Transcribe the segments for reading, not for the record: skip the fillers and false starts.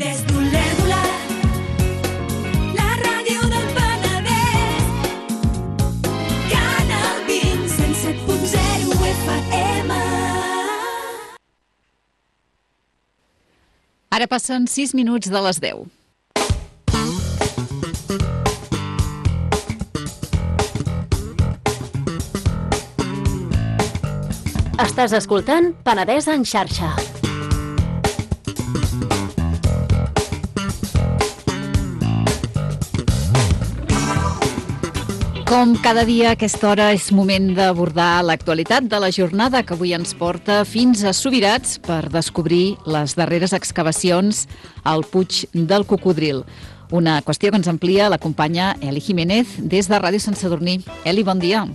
Des d'Olèrdola, la ràdio del Penedès, Canal 20, 107.0 FM. Ara passen 6 minuts de les 10. Estàs escoltant Penedès en xarxa. Com cada dia a aquesta hora és moment d'abordar l'actualitat de la jornada que avui ens porta fins a Subirats per descobrir les darreres excavacions al Puig del Cocodril. Una qüestió que ens amplia la companya Eli Jiménez des de Ràdio Sant Sadurní. Eli, bon dia.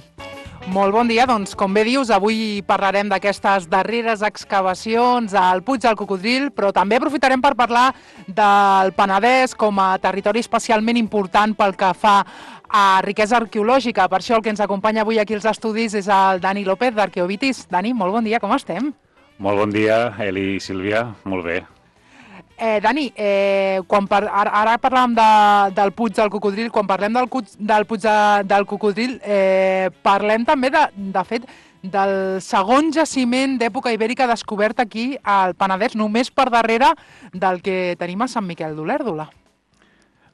Molt bon dia, doncs com bé dius, avui parlarem d'aquestes darreres excavacions al Puig del Cocodril, però també aprofitarem per parlar del Penedès com a territori especialment important pel que fa a riquesa arqueològica. Per això el que ens acompanya avui aquí als estudis és el Dani López d'Arqueovitis. Dani, molt bon dia, com estem? Molt bon dia, Eli i Sílvia, molt bé. Dani, ara parlàvem del Puig del Cocodril. Quan parlem del Puig del Cocodril, parlem també, de fet, del segon jaciment d'època ibèrica descobert aquí al Penedès, només per darrere del que tenim a Sant Miquel d'Olèrdola.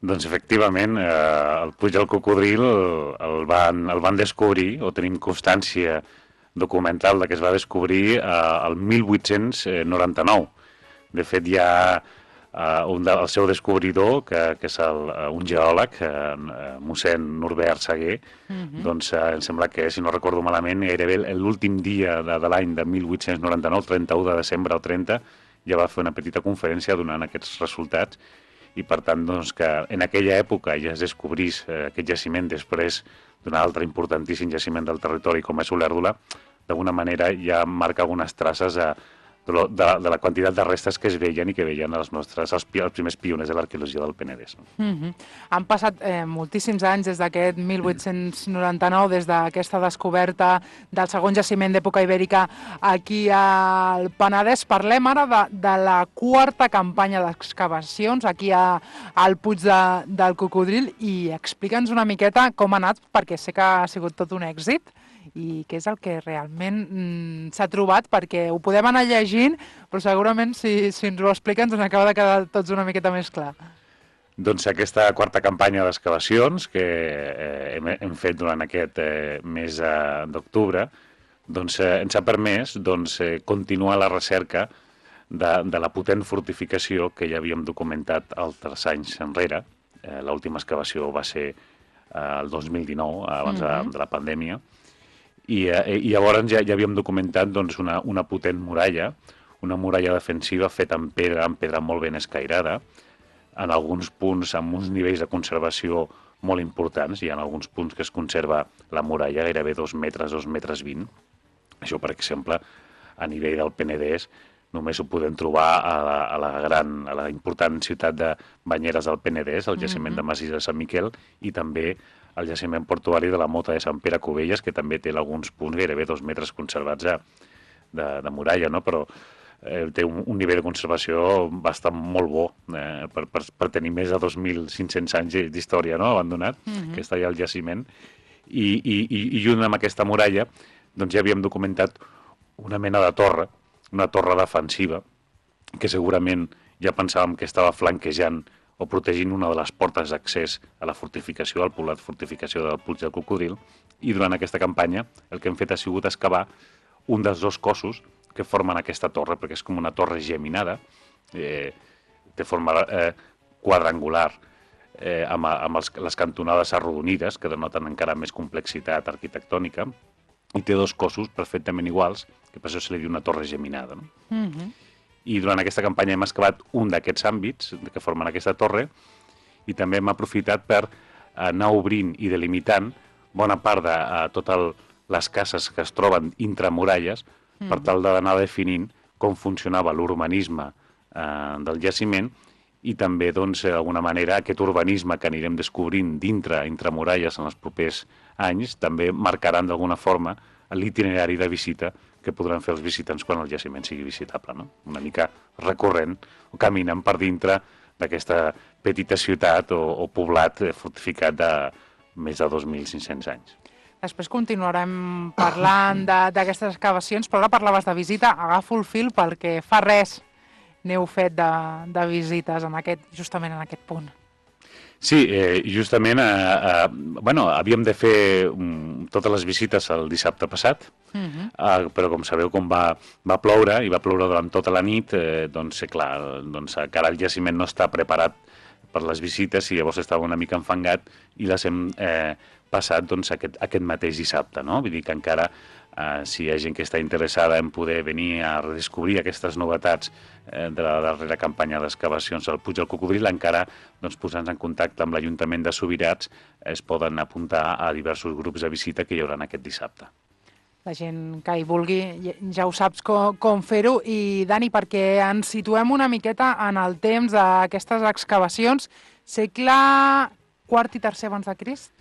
Doncs efectivament, el Puig del Cocodril el van descobrir, o tenim constància documental de que es va descobrir el 1899. De fet, hi ha el seu descobridor, que és un geòleg, mossèn Norbert Saguer, doncs em sembla que, si no recordo malament, gairebé l'últim dia de l'any de 1899, el 31 de desembre al 30, ja va fer una petita conferència donant aquests resultats, i per tant, doncs, que en aquella època ja es descobrís aquest jaciment després d'un altre importantíssim jaciment del territori com és Olèrdola, d'alguna manera ja marca algunes traces de la quantitat de restes que es veien i que veien els primers pioners de l'arqueologia del Penedès. Han passat moltíssims anys des d'aquest 1899, des d'aquesta descoberta del segon jaciment d'època ibèrica aquí al Penedès. Parlem ara de la quarta campanya d'excavacions aquí al Puig del Cocodril i explica'ns una miqueta com ha anat, perquè sé que ha sigut tot un èxit, i què és el que realment s'ha trobat, perquè ho podem anar llegint, però segurament si ens ho explica ens acaba de quedar tots una miqueta més clar. Doncs aquesta quarta campanya d'excavacions que hem fet durant aquest mes d'octubre doncs, ens ha permès continuar la recerca de la potent fortificació que ja havíem documentat altres anys enrere. L'última excavació va ser el 2019, abans de la pandèmia, i llavors ja havíem documentat una potent muralla, una muralla defensiva feta en pedra molt ben escairada, en alguns punts amb uns nivells de conservació molt importants. Hi ha alguns punts que es conserva la muralla gairebé 2 metres, 2 metres 20. Això, per exemple, a nivell del Penedès, només ho podem trobar a la important ciutat de Banyeres del Penedès, el jaciment de Massís de Sant Miquel, i també el jaciment portuari de la Mota de Sant Pere Cubelles, que també té alguns punts gairebé 2 metres conservats de muralla, no? Però té un nivell de conservació bastant molt bo per tenir més de 2.500 anys d'història, no?, abandonat, que està allà al jaciment. I junt amb aquesta muralla doncs ja havíem documentat una mena de torre, una torre defensiva, que segurament ja pensàvem que estava flanquejant o protegint una de les portes d'accés a la fortificació, al poblat fortificació del Puig del Cocodril, i durant aquesta campanya el que hem fet ha sigut excavar un dels 2 cossos que formen aquesta torre, perquè és com una torre geminada, de forma quadrangular, amb les cantonades arrodonides, que denoten encara més complexitat arquitectònica, i té 2 cossos perfectament iguals, que per això se li diu una torre geminada, no? I durant aquesta campanya hem excavat un d'aquests àmbits que formen aquesta torre, i també hem aprofitat per anar obrint i delimitant bona part de totes les cases que es troben intramuralles, per tal d'anar definint com funcionava l'urbanisme del jaciment, i també, d'alguna manera, aquest urbanisme que anirem descobrint intramuralles en els propers anys també marcaran d'alguna forma l'itinerari de visita que podran fer els visitants quan el jaciment sigui visitable, no? Una mica recorrent o caminant per dintre d'aquesta petita ciutat o poblat fortificat de més de 2.500 anys. Després continuarem parlant d'aquestes excavacions, però ara parlaves de visita. Agafo el fil perquè fa res n'heu fet de visites justament en aquest punt. Sí, justament havíem de fer totes les visites el dissabte passat, però com sabeu, com va ploure, i va ploure durant tota la nit, doncs clar, encara el jaciment no està preparat per les visites i llavors estava una mica enfangat i les hem passat aquest mateix dissabte, no? Vull dir que encara si hi ha gent que està interessada en poder venir a redescobrir aquestes novetats de la darrera campanya d'excavacions al Puig del Cocodril, encara posant-se en contacte amb l'Ajuntament de Subirats es poden apuntar a diversos grups de visita que hi haurà aquest dissabte. La gent que hi vulgui ja ho saps com fer-ho. I Dani, perquè ens situem una miqueta en el temps d'aquestes excavacions, segle IV i III abans de Crist?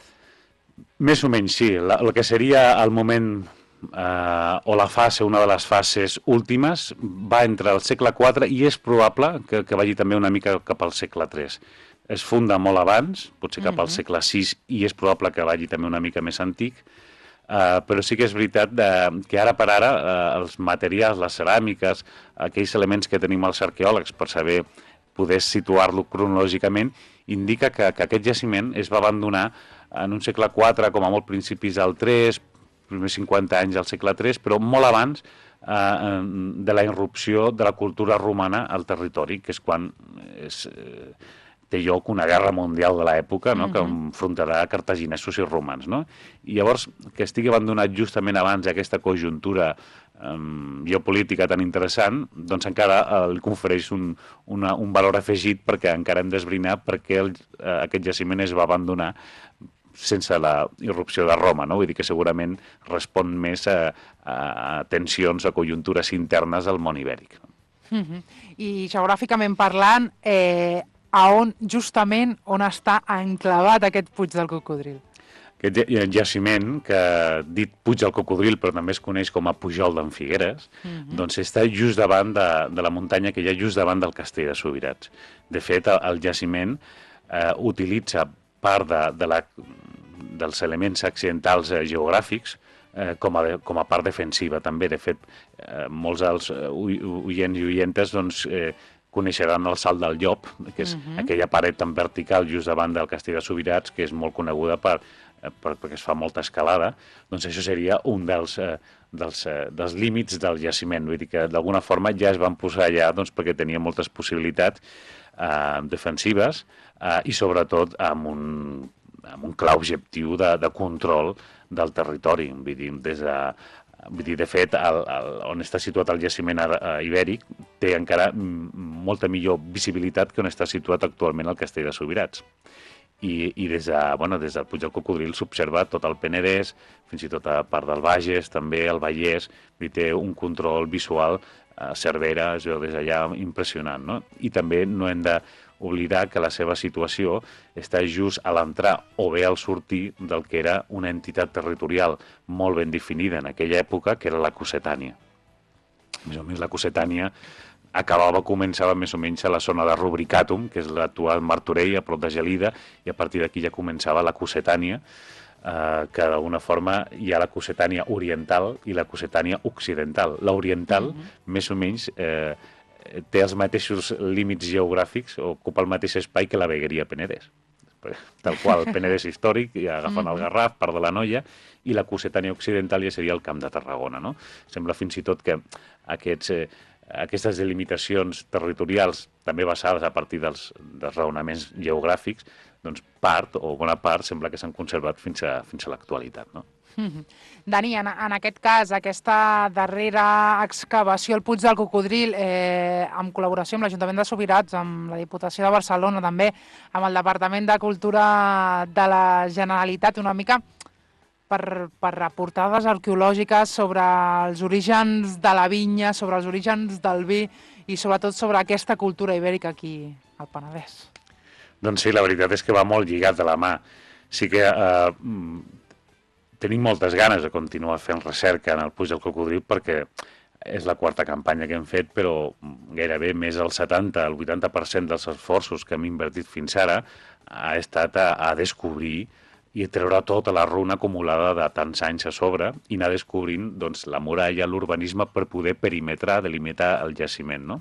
Més o menys, sí. El que seria el moment o la fase, una de les fases últimes, va entre el segle IV i és probable que vagi també una mica cap al segle III. Es funda molt abans, potser cap al segle VI, i és probable que vagi també una mica més antic, però sí que és veritat que ara per ara els materials, les ceràmiques, aquells elements que tenim els arqueòlegs per saber poder situar-lo cronològicament, indica que aquest jaciment es va abandonar en un segle IV, com a molt principis del III, primers 50 anys del segle III, però molt abans de la irrupció de la cultura romana al territori, que és quan té lloc una guerra mundial de l'època, no? Que enfrontarà cartaginesos i romans. No? I llavors, que estigui abandonat justament abans d'aquesta conjuntura geopolítica tan interessant, doncs encara li confereix un valor afegit perquè encara hem d'esbrinar per què aquest jaciment es va abandonar sense la irrupció de Roma, no? Vull dir que segurament respon més a tensions, a conjuntures internes del món ibèric. I geogràficament parlant, justament on està enclavat aquest Puig del Cocodril? Aquest jaciment, que dit Puig del Cocodril, però també es coneix com a Pujol d'en Figueres, doncs està just davant de la muntanya que hi ha just davant del castell de Subirats. De fet, el jaciment utilitza part dels elements accidentals geogràfics com a part defensiva també. De fet, molts dels oients i oientes coneixeran el Salt del Llop, que és aquella paret tan vertical just davant del castell de Subirats, que és molt coneguda perquè es fa molta escalada. Doncs això seria un dels límits del jaciment. Vull dir que d'alguna forma ja es van posar allà perquè tenia moltes possibilitats defensives i sobretot amb un clar objectiu de control del territori. Vull dir, de fet, on està situat el jaciment ibèric té encara molta millor visibilitat que on està situat actualment el castell de Subirats. I des del Puig del Cocodril s'observa tot el Penedès, fins i tot a part del Bages, també el Vallès, té un control visual a Cervera, es veu des d'allà impressionant, no? I també no hem d'oblidar que la seva situació està just a l'entrar o bé al sortir del que era una entitat territorial molt ben definida en aquella època, que era la Cossetània. Més o menys la Cossetània començava més o menys a la zona de Rubricatum, que és l'actual Martorell, a prop de Gelida, i a partir d'aquí ja començava la Cossetània, que d'alguna forma hi ha la Cossetània oriental i la Cossetània occidental. L'oriental, més o menys, té els mateixos límits geogràfics, ocupa el mateix espai que la vegueria Penedès. Tal qual, el Penedès històric, agafant el Garraf, part de la Noia, i la Cossetània occidental ja seria el Camp de Tarragona. No? Sembla fins i tot que aquestes delimitacions territorials, també basades a partir dels raonaments geogràfics, doncs bona part sembla que s'han conservat fins a l'actualitat, no? Dani, en aquest cas, aquesta darrera excavació al Puig del Cocodril, en col·laboració amb l'Ajuntament de Subirats, amb la Diputació de Barcelona, també amb el Departament de Cultura de la Generalitat, una mica per aportar dades arqueològiques sobre els orígens de la vinya, sobre els orígens del vi i sobretot sobre aquesta cultura ibèrica aquí al Penedès. Doncs sí, la veritat és que va molt lligat de la mà. Sí que tenim moltes ganes de continuar fent recerca en el Puig del Cocodril perquè És la quarta campanya que hem fet, però gairebé més del 70, el 80% dels esforços que hem invertit fins ara ha estat a descobrir i a treure tota la runa acumulada de tants anys a sobre i anar descobrint doncs, la muralla, l'urbanisme per poder perimetrar, delimitar el jaciment, no?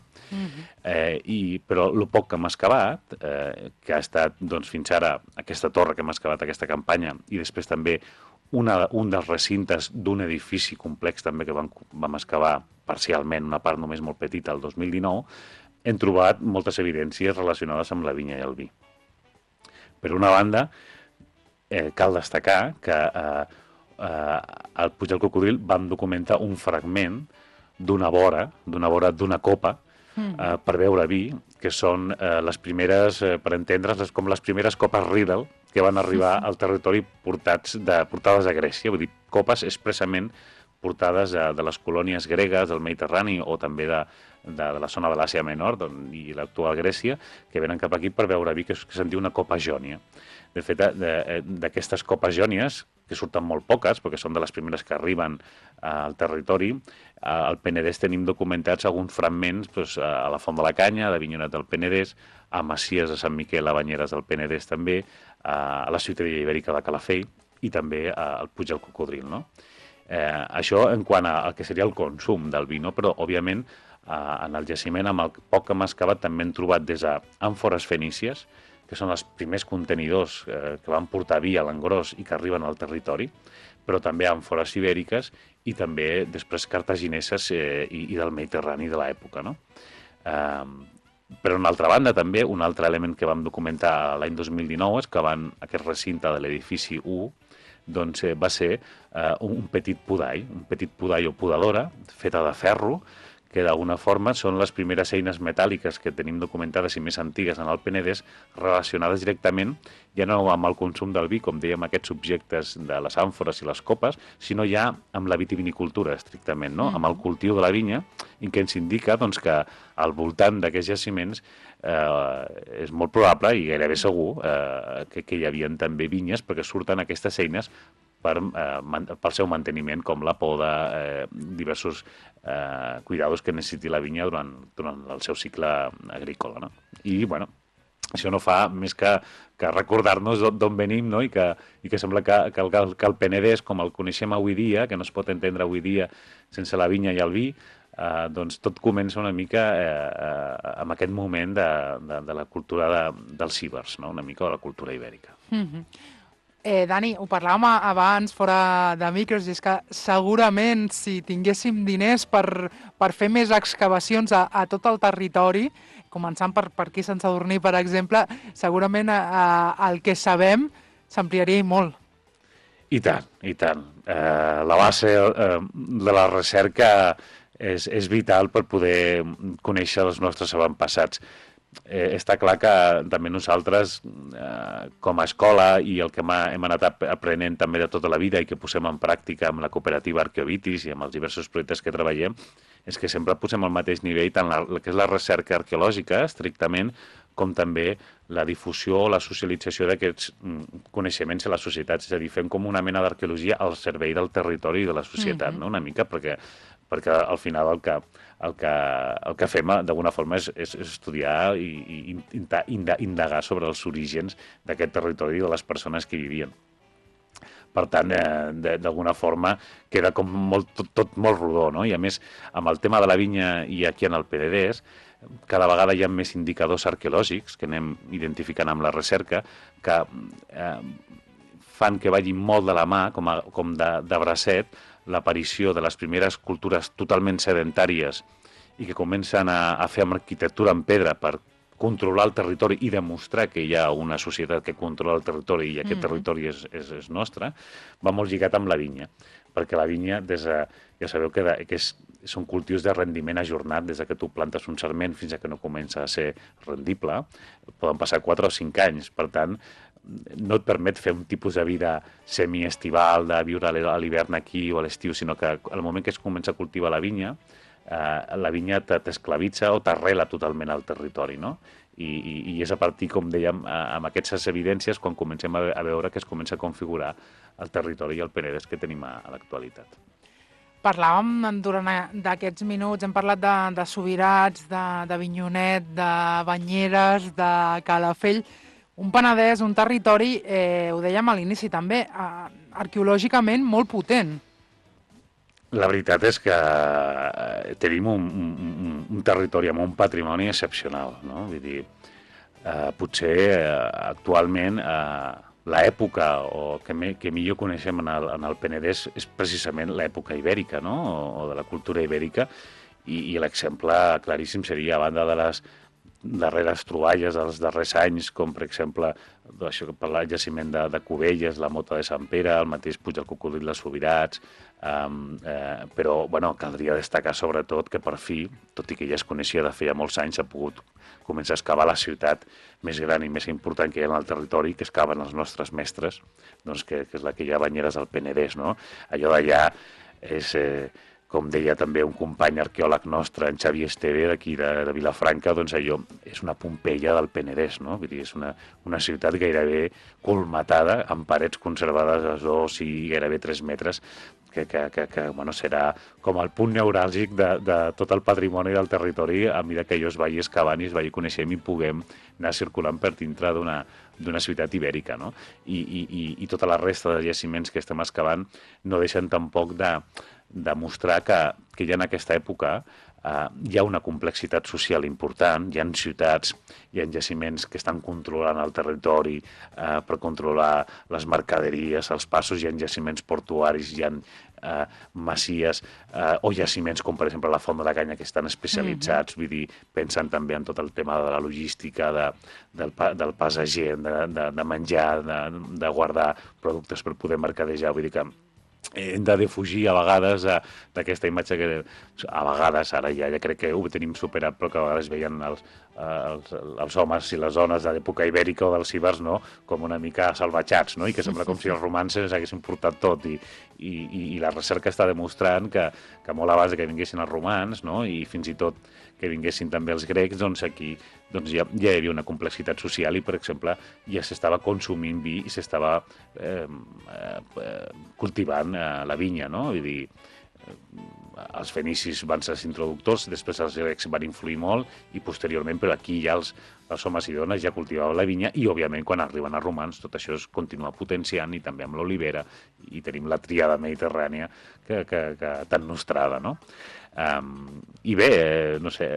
Però el poc que hem excavat, que ha estat doncs, fins ara aquesta torre que hem excavat, aquesta campanya, i després també un dels recintes d'un edifici complex també que vam excavar parcialment, una part només molt petita, el 2019, hem trobat moltes evidències relacionades amb la vinya i el vi. Per una banda, cal destacar que al Puig del Cocodril vam documentar un fragment d'una vora d'una copa per beure vi, que són les primeres, per entendre's, com les primeres copes Riedel que van arribar al territori portades a Grècia, vull dir, copes expressament portades de les colònies gregues, del Mediterrani o també de la zona de l'Àsia Menor i l'actual Grècia, que venen cap aquí per beure vi, que se'n diu una copa jònia. De fet, d'aquestes copes jònies, que surten molt poques, perquè són de les primeres que arriben al territori, al Penedès tenim documentats alguns fragments a la Font de la Canya, a Avinyonet del Penedès, a Masies de Sant Miquel, a Banyeres del Penedès també, a la Ciutadella Ibèrica de Calafell i també al Puig del Cocodril, no? Això en quant al que seria el consum del vi, no? Però, òbviament, en el jaciment, amb el poc que hem excavat, també hem trobat des d'àmfores fenícies, que són els primers contenidors que van portar vi a l'engròs i que arriben al territori, però també àmfores ibèriques i també després cartagineses i del Mediterrani de l'època, no? Per una altra banda, també, un altre element que vam documentar l'any 2019 és que aquest recinte de l'edifici 1 doncs, va ser un petit podall o podadora feta de ferro, que d'alguna forma són les primeres eines metàl·liques que tenim documentades i més antigues en el Penedès, relacionades directament ja no amb el consum del vi, com dèiem, aquests objectes de les àmfores i les copes, sinó ja amb la vitivinicultura, estrictament, no? Amb el cultiu de la vinya, i que ens indica doncs, que al voltant d'aquests jaciments és molt probable i gairebé segur que hi havia també vinyes, perquè surten aquestes eines pel seu manteniment, com la poda, diversos cuidados que necessiti la vinya durant el seu cicle agrícola, no? I, bueno, això no fa més que recordar-nos d'on venim, no? I que sembla que el Penedès, com el coneixem avui dia, que no es pot entendre avui dia sense la vinya i el vi, doncs tot comença una mica amb aquest moment de la cultura dels cíbers, no? Una mica de la cultura ibèrica. Dani, ho parlàvem abans fora de micros, i és que segurament si tinguéssim diners per fer més excavacions a tot el territori, començant per aquí Sant Sadurní, per exemple, segurament el que sabem s'ampliaria molt. I tant, i tant. La base de la recerca és vital per poder conèixer els nostres avantpassats. Està clar que també nosaltres, com a escola, i el que hem anat aprenent també de tota la vida i que posem en pràctica amb la cooperativa Arqueovitis i amb els diversos projectes que treballem, és que sempre posem al mateix nivell tant el que és la recerca arqueològica, estrictament, com també la difusió o la socialització d'aquests coneixements a la societat. És a dir, fem com una mena d'arqueologia al servei del territori i de la societat, no? Una mica, perquè al final el que fem d'alguna forma és estudiar i indagar sobre els orígens d'aquest territori i de les persones que hi vivien. Per tant, d'alguna forma queda com tot molt rodó, no? I a més, amb el tema de la vinya i aquí en el Penedès, cada vegada hi ha més indicadors arqueològics que anem identificant amb la recerca que fan que vagin molt de la mà, com de bracet, l'aparició de les primeres cultures totalment sedentàries i que comencen a fer amb arquitectura en pedra per controlar el territori i demostrar que hi ha una societat que controla el territori i aquest territori és nostre, va molt lligat amb la vinya. Perquè la vinya, ja sabeu que són cultius de rendiment ajornat, des que tu plantes un sarment fins que no comença a ser rendible, poden passar 4 o 5 anys. Per tant, no et permet fer un tipus de vida semiestival, de viure a l'hivern aquí o a l'estiu, sinó que al moment que es comença a cultivar la vinya t'esclavitza o t'arrela totalment al territori, no? I és a partir, com dèiem, amb aquestes evidències, quan comencem a veure que es comença a configurar el territori i el Penedès que tenim a l'actualitat. Parlàvem durant d'aquests minuts, hem parlat de Subirats, de Avinyonet, de Banyeres, de Calafell, un Penedès, un territori, ho dèiem a l'inici també, arqueològicament molt potent. La veritat és que tenim un territori amb un patrimoni excepcional, no? Vull dir, potser actualment l'època que millor coneixem en el Penedès és precisament l'època ibèrica, no? O de la cultura ibèrica, i l'exemple claríssim seria, a banda de les darreres troballes dels darrers anys, com per exemple això que parla, el jaciment de Cubelles, la Mota de Sant Pere, el mateix Puig del Cocodril de Subirats, però bueno, caldria destacar sobretot que per fi, tot i que ja es coneixia de feia molts anys, s'ha pogut començar a excavar la ciutat més gran i més important que hi ha en el territori, que excaven els nostres mestres, doncs que és la que hi ha a Banyeres del Penedès, no? Allò d'allà és... com deia també un company arqueòleg nostre, en Xavi Esteve, d'aquí de Vilafranca, doncs allò és una Pompeia del Penedès, no? Vull dir, és una ciutat gairebé colmatada, amb parets conservades a 2 i gairebé 3 metres, que bueno, serà com el punt neuràlgic de tot el patrimoni del territori a mesura que allò es vagi excavant i es vagi coneixent i puguem anar circulant per dintre d'una ciutat ibèrica, no? I tota la resta de jaciments que estem excavant no deixen tampoc de mostrar que ja en aquesta època hi ha una complexitat social important, hi ha ciutats, hi ha jaciments que estan controlant el territori per controlar les mercaderies, els passos, hi ha jaciments portuaris, hi ha masies o jaciments com per exemple la Font de la Canya que estan especialitzats, vull dir, pensen també en tot el tema de la logística, del pas a gent, de menjar, de guardar productes per poder mercadejar, vull dir que hem de defugir a vegades d'aquesta imatge que a vegades, ara ja crec que ho tenim superat, però que a vegades veien els homes i les dones de l'època ibèrica o dels ibers, no?, com una mica salvatjats, no?, i que sembla com si els romans ens haguessin portat tot, i la recerca està demostrant que molt abans que vinguessin els romans, no?, i fins i tot que vinguessin també els grecs, doncs aquí ja hi havia una complexitat social i, per exemple, ja s'estava consumint vi i s'estava cultivant la vinya, no? Vull dir, els fenicis van ser els introductors, després els grecs van influir molt i posteriorment, però aquí ja els homes i dones ja cultivaven la vinya i, òbviament, quan arriben els romans tot això es continua potenciant i també amb l'olivera i tenim la tríada mediterrània que tan nostrada, no? I bé, no sé,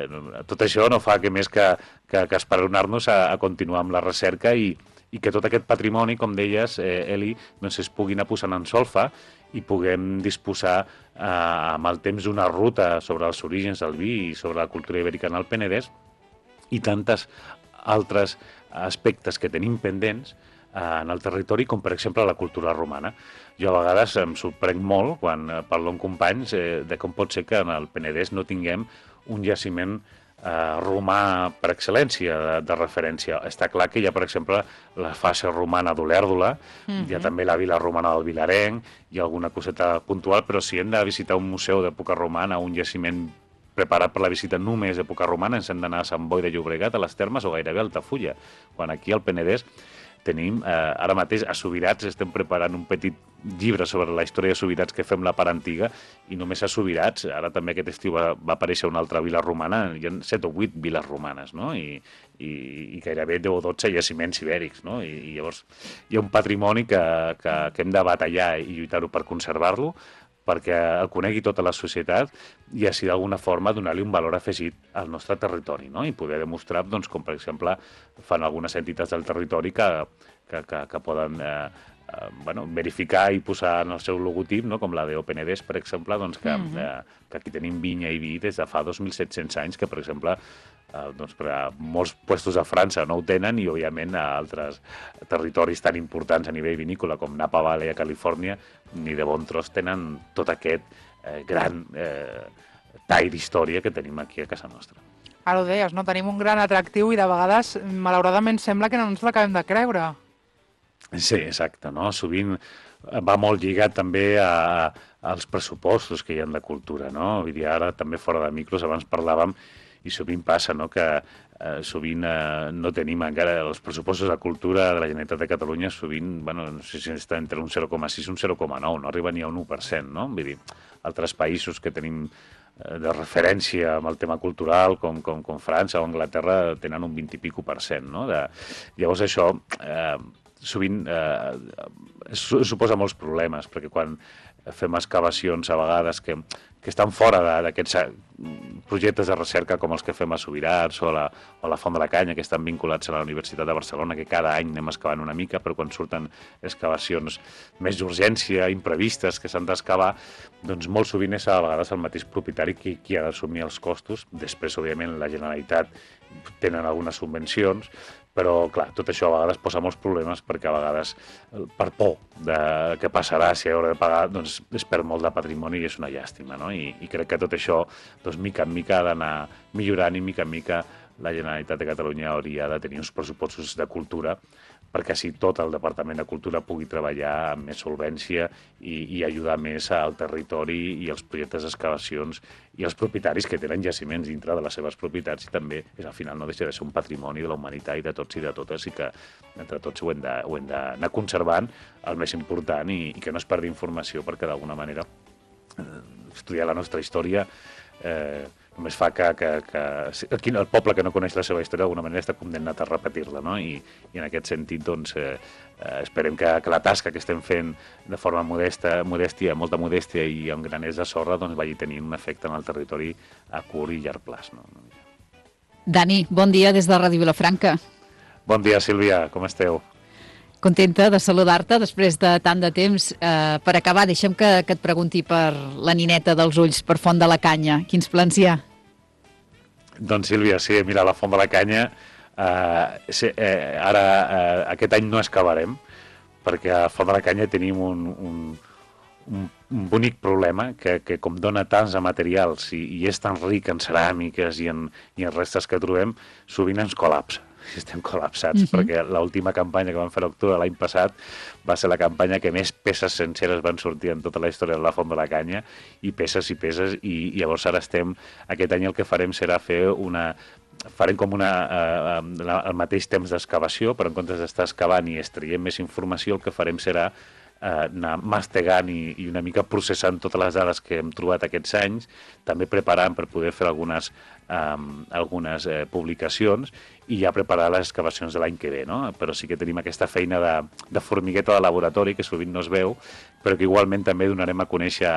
tot això no fa que més que esperonar-nos a continuar amb la recerca i que tot aquest patrimoni, com deies, Eli, doncs es pugui anar posant en solfa i puguem disposar amb el temps d'una ruta sobre els orígens del vi i sobre la cultura ibèrica en el Penedès i tantes altres aspectes que tenim pendents en el territori, com per exemple la cultura romana. Jo a vegades em sorprenc molt quan parlo amb companys de com pot ser que en el Penedès no tinguem un jaciment romà per excel·lència de referència. Està clar que hi ha, per exemple, la fase romana d'Olèrdola, hi ha també la vila romana del Vilarenc, hi ha alguna coseta puntual, però si hem de visitar un museu d'època romana, un jaciment preparat per la visita només d'època romana, ens hem d'anar a Sant Boi de Llobregat, a les Termes o gairebé a Altafulla, quan aquí al Penedès tenim, ara mateix a Subirats estem preparant un petit llibre sobre la història de Subirats que fem la part antiga i només a Subirats, ara també aquest estiu va aparèixer una altra vila romana, hi ha 7 o 8 viles romanes, no? I gairebé 10 o 12 jaciments ibèrics, no? I llavors hi ha un patrimoni que hem de batallar i lluitar-ho per conservar-lo, perquè el conegui tota la societat i així d'alguna forma donar-li un valor afegit al nostre territori, no? I poder demostrar, doncs, com per exemple fan algunes entitats del territori que poden verificar i posar en el seu logotip, no? Com la d'Openedès, per exemple, doncs, que aquí tenim vinya i vi des de fa 2.700 anys, que per exemple doncs per a molts puestos a França no ho tenen i òbviament a altres territoris tan importants a nivell vinícola com Napa Valley a Califòrnia ni de bon tros tenen tot aquest gran tall d'història que tenim aquí a casa nostra. Ara ho deies, no? Tenim un gran atractiu i de vegades, malauradament, sembla que no ens l'acabem de creure. Sí, exacte, no? Sovint va molt lligat també als pressupostos que hi ha de cultura, no? Vull dir, ara també fora de micros, abans parlàvem i sovint passa, no?, que sovint no tenim encara els pressupostos de cultura de la Generalitat de Catalunya, sovint, bueno, no sé si està entre un 0,6 i un 0,9, no arriba ni a un 1%, no? Vull dir, altres països que tenim de referència amb el tema cultural, com França o Anglaterra, tenen un 20 i pico %, no? Llavors això sovint suposa molts problemes, perquè quan fem excavacions a vegades que estan fora d'aquests projectes de recerca com els que fem a Subirats o la Font de la Canya, que estan vinculats a la Universitat de Barcelona, que cada any anem excavant una mica, però quan surten excavacions més d'urgència, imprevistes, que s'han d'excavar, doncs molt sovint és a vegades el mateix propietari qui ha d'assumir els costos. Després, òbviament, la Generalitat tenen algunes subvencions, però, clar, tot això a vegades posa molts problemes perquè a vegades, per por de què passarà si haurà de pagar, doncs es perd molt de patrimoni i és una llàstima, no? I crec que tot això, doncs, mica en mica ha d'anar millorant i mica en mica la Generalitat de Catalunya hauria de tenir uns pressupostos de cultura perquè així tot el Departament de Cultura pugui treballar amb més solvència i ajudar més al territori i als projectes d'excavacions i als propietaris que tenen jaciments dintre de les seves propietats, i també al final no deixa de ser un patrimoni de la humanitat i de tots i de totes, i que entre tots ho hem d'anar conservant el més important i que no es perdi informació, perquè d'alguna manera estudiar la nostra història només fa que aquí el poble que no coneix la seva història d'alguna manera està condemnat a repetir-la, no? I en aquest sentit doncs, esperem que la tasca que estem fent de forma molta modèstia i amb graners de sorra doncs, vagi tenint un efecte en el territori a curt i llarg plaç. No? Dani, bon dia des de Ràdio Vilafranca. Bon dia, Sílvia, com esteu? Contenta de saludar-te després de tant de temps. Per acabar, deixa'm que et pregunti per la nineta dels ulls, per Font de la Canya. Quins plans hi ha? Doncs, Sílvia, sí, mira, la Font de la Canya, ara aquest any no excavarem, perquè a Font de la Canya tenim un bonic problema, que com dona tants de materials i és tan ric en ceràmiques i en restes que trobem, sovint ens col·lapsa. Estem col·lapsats, perquè l'última campanya que vam fer a l'octubre l'any passat va ser la campanya que més peces senceres van sortir en tota la història de la Font de la Canya, i peces, i llavors ara aquest any el que farem serà farem com al mateix temps d'excavació, però en comptes d'estar excavant i extraient més informació, el que farem serà anar mastegant i una mica processant totes les dades que hem trobat aquests anys, també preparant per poder fer algunes publicacions i ja preparar les excavacions de l'any que ve, no? Però sí que tenim aquesta feina de formigueta de laboratori que sovint no es veu, però que igualment també donarem a conèixer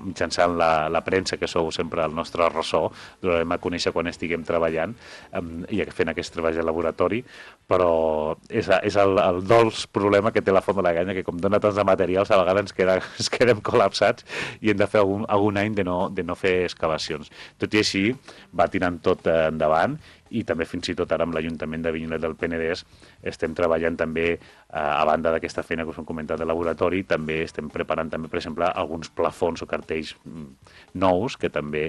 mitjançant la premsa, que sou sempre el nostre ressò, donarem a conèixer quan estiguem treballant i fent aquest treball de laboratori, però és el dolç problema que té la Font de la Canya, que com dona tants de materials a vegades ens quedem col·lapsats i hem de fer algun any de no fer excavacions. Tot i així va tirant tot endavant, i també fins i tot ara amb l'Ajuntament de Avinyonet del Penedès estem treballant també, a banda d'aquesta feina que us hem comentat de laboratori, també estem preparant també, per exemple, alguns plafons o cartells nous que també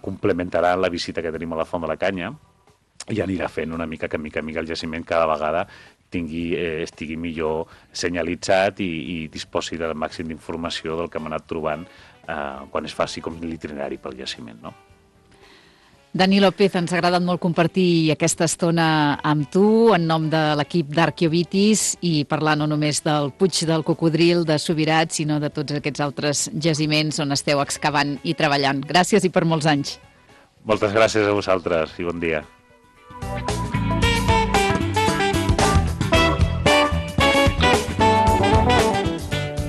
complementaran la visita que tenim a la Font de la Canya, i anirà fent una mica que mica el jaciment cada vegada estigui millor senyalitzat i disposi del màxim d'informació del que hem anat trobant quan es faci com l'itinerari pel jaciment, no? Dani López, ens ha agradat molt compartir aquesta estona amb tu en nom de l'equip d'Arqueovitis i parlar no només del Puig del Cocodril, de Subirats, sinó de tots aquests altres jaciments on esteu excavant i treballant. Gràcies i per molts anys. Moltes gràcies a vosaltres i bon dia.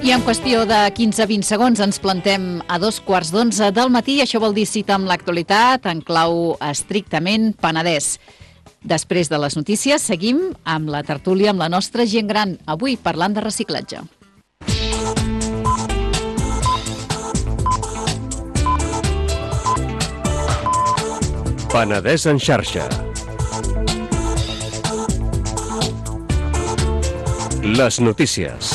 I en qüestió de 15-20 segons ens plantem a 11:15 del matí. Això vol dir cita amb l'actualitat en clau estrictament Penedès. Després de les notícies seguim amb la tertúlia amb la nostra gent gran, avui parlant de reciclatge. Penedès en xarxa. Les notícies.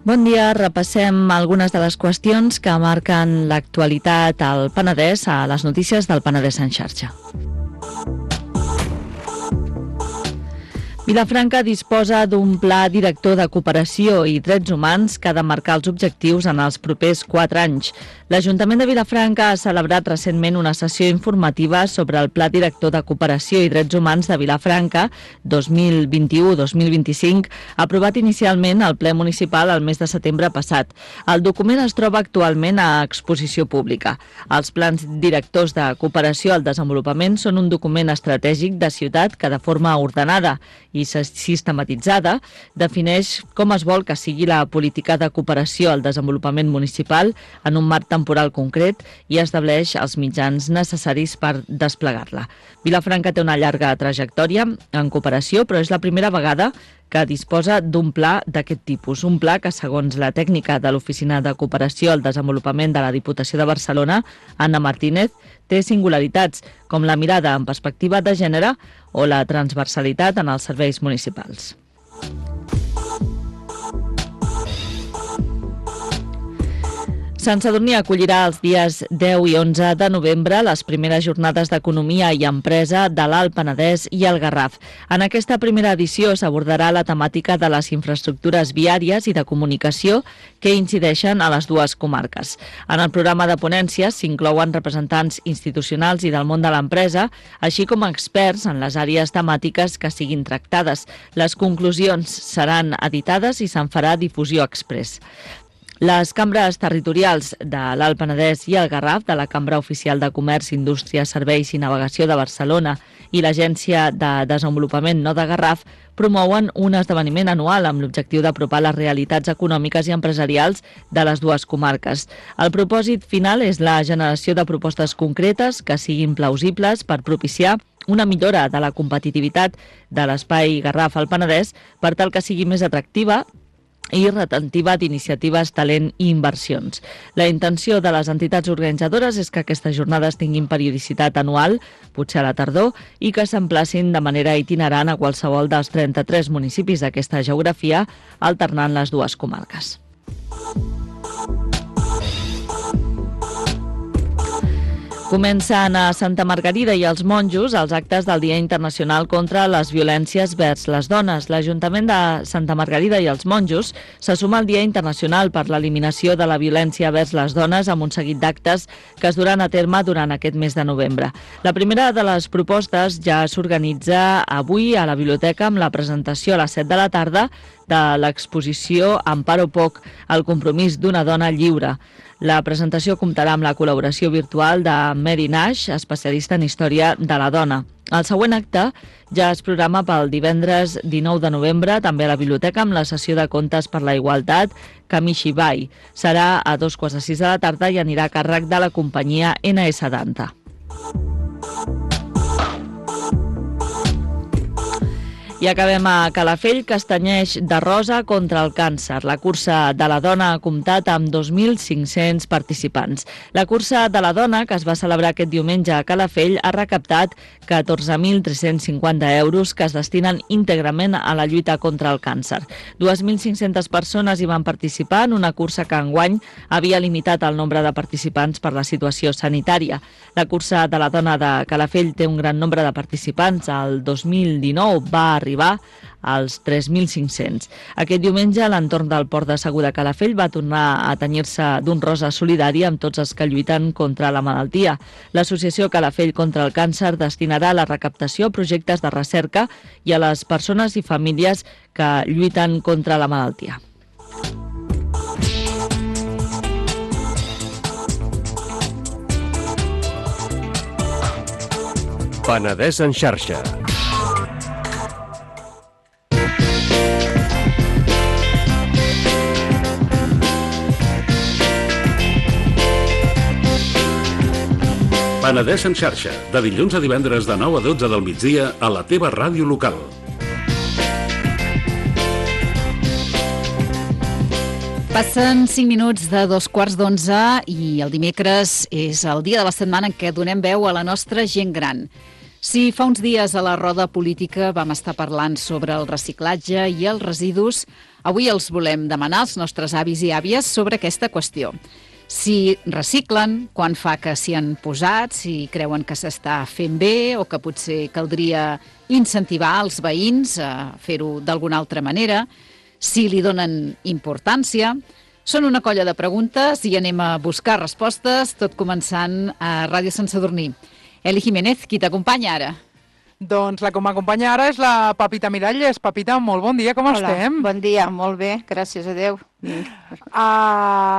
Bon dia, repassem algunes de les qüestions que marquen l'actualitat al Penedès a les notícies del Penedès en xarxa. Vilafranca disposa d'un pla director de cooperació i drets humans que ha de marcar els objectius en els propers 4 anys. L'Ajuntament de Vilafranca ha celebrat recentment una sessió informativa sobre el Pla Director de Cooperació i Drets Humans de Vilafranca 2021-2025, aprovat inicialment al ple municipal el mes de setembre passat. El document es troba actualment a exposició pública. Els plans directors de cooperació al desenvolupament són un document estratègic de ciutat que de forma ordenada i sistematitzada defineix com es vol que sigui la política de cooperació al desenvolupament municipal en un marc temporal concret i estableix els mitjans necessaris per desplegar-la. Vilafranca té una llarga trajectòria en cooperació, però és la primera vegada que disposa d'un pla d'aquest tipus. Un pla que, segons la tècnica de l'Oficina de Cooperació al Desenvolupament de la Diputació de Barcelona, Anna Martínez, té singularitats com la mirada en perspectiva de gènere o la transversalitat en els serveis municipals. Sant Sadurní acollirà els dies 10 i 11 de novembre les primeres jornades d'economia i empresa de l'Alt Penedès i el Garraf. En aquesta primera edició s'abordarà la temàtica de les infraestructures viàries i de comunicació que incideixen a les dues comarques. En el programa de ponències s'inclouen representants institucionals i del món de l'empresa, així com experts en les àrees temàtiques que siguin tractades. Les conclusions seran editades i se'n farà difusió exprés. Les cambres territorials de l'Alt Penedès i el Garraf, de la Cambra Oficial de Comerç, Indústria, Serveis i Navegació de Barcelona i l'Agència de Desenvolupament No de Garraf promouen un esdeveniment anual amb l'objectiu d'apropar les realitats econòmiques i empresarials de les dues comarques. El propòsit final és la generació de propostes concretes que siguin plausibles per propiciar una millora de la competitivitat de l'espai Garraf al Penedès per tal que sigui més atractiva i retentiva d'iniciatives, talent i inversions. La intenció de les entitats organitzadores és que aquestes jornades tinguin periodicitat anual, potser a la tardor, i que s'emplacin de manera itinerant a qualsevol dels 33 municipis d'aquesta geografia, alternant les dues comarques. Comencen a Santa Margarida i els Monjos els actes del Dia Internacional contra les Violències vers les Dones. L'Ajuntament de Santa Margarida i els Monjos se suma al Dia Internacional per l'eliminació de la violència vers les dones amb un seguit d'actes que es duran a terme durant aquest mes de novembre. La primera de les propostes ja s'organitza avui a la biblioteca amb la presentació a les 7 de la tarda de l'exposició Amparo Poc, el compromís d'una dona lliure. La presentació comptarà amb la col·laboració virtual de Mary Nash, especialista en història de la dona. El següent acte ja es programa pel divendres 19 de novembre, també a la biblioteca, amb la sessió de contes per la igualtat Kamishibai. Serà a 2:15 de la tarda i anirà a càrrec de la companyia NS Danta. I acabem a Calafell, que es tenyeix de rosa contra el càncer. La cursa de la dona ha comptat amb 2.500 participants. La cursa de la dona, que es va celebrar aquest diumenge a Calafell, ha recaptat 14.350 euros que es destinen íntegrament a la lluita contra el càncer. 2.500 persones hi van participar en una cursa que enguany havia limitat el nombre de participants per la situació sanitària. La cursa de la dona de Calafell té un gran nombre de participants. El 2019 va arribar als 3.500. Aquest diumenge, a l'entorn del Port de Segur de Calafell va tornar a tenyir-se d'un rosa solidari amb tots els que lluiten contra la malaltia. L'Associació Calafell contra el Càncer destinarà la recaptació a projectes de recerca i a les persones i famílies que lluiten contra la malaltia. Penedès en xarxa. Penedès en xarxa, de dilluns a divendres de 9 a 12 del migdia a la teva ràdio local. Passen 5 minuts de 2:15 i el dimecres és el dia de la setmana en què donem veu a la nostra gent gran. Si fa uns dies a la roda política vam estar parlant sobre el reciclatge i els residus, avui els volem demanar als nostres avis i àvies sobre aquesta qüestió. si reciclen, quan fa que s'hi han posat, si creuen que s'està fent bé o que potser caldria incentivar els veïns a fer-ho d'alguna altra manera, si li donen importància. Són una colla de preguntes i anem a buscar respostes, tot començant a Ràdio Sant Sadurní. Eli Jiménez, qui t'acompanya ara? Doncs la que m'acompanya ara és la Pepita Miralles. Pepita, molt bon dia, com estem? Bon dia, molt bé, gràcies a Déu.